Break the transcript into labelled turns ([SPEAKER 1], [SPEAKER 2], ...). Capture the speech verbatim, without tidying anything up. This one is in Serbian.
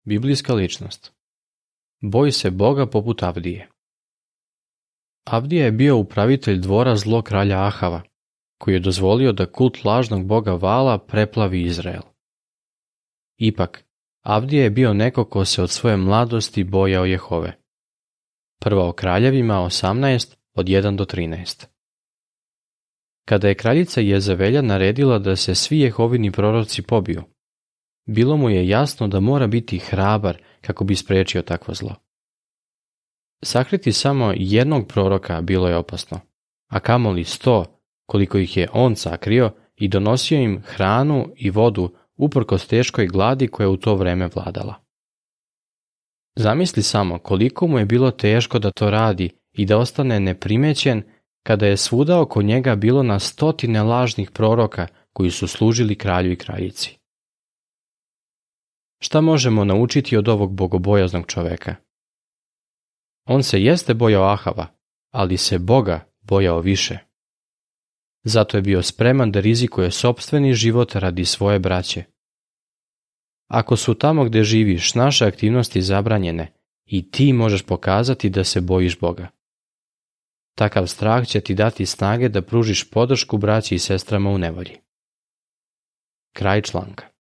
[SPEAKER 1] Biblijska ličnost. Boj se Boga poput Avdije. Avdija je bio upravitelj dvora zlog kralja Ahava, koji je dozvolio da kult lažnog boga Vala preplavi Izrael. Ipak, Avdija je bio neko ko se od svoje mladosti bojao Jehove. Prva o kraljevima osamnaest od jedan do trinaest. Kada je kraljica Jezevelja naredila da se svi Jehovini proroci pobiju, bilo mu je jasno da mora biti hrabar kako bi spriječio takvo zlo. Sakriti samo jednog proroka bilo je opasno, a kamoli sto, koliko ih je on sakrio i donosio im hranu i vodu uprkos teškoj gladi koja je u to vreme vladala. Zamisli samo koliko mu je bilo teško da to radi i da ostane neprimećen kada je svuda oko njega bilo na stotine lažnih proroka koji su služili kralju i kraljici. Šta možemo naučiti od ovog bogobojaznog čoveka? On se jeste bojao Ahava, ali se Boga bojao više. Zato je bio spreman da rizikuje sopstveni život radi svoje braće. Ako su tamo gde živiš naše aktivnosti zabranjene, i ti možeš pokazati da se bojiš Boga. Takav strah će ti dati snage da pružiš podršku braći i sestrama u nevolji. Kraj članka.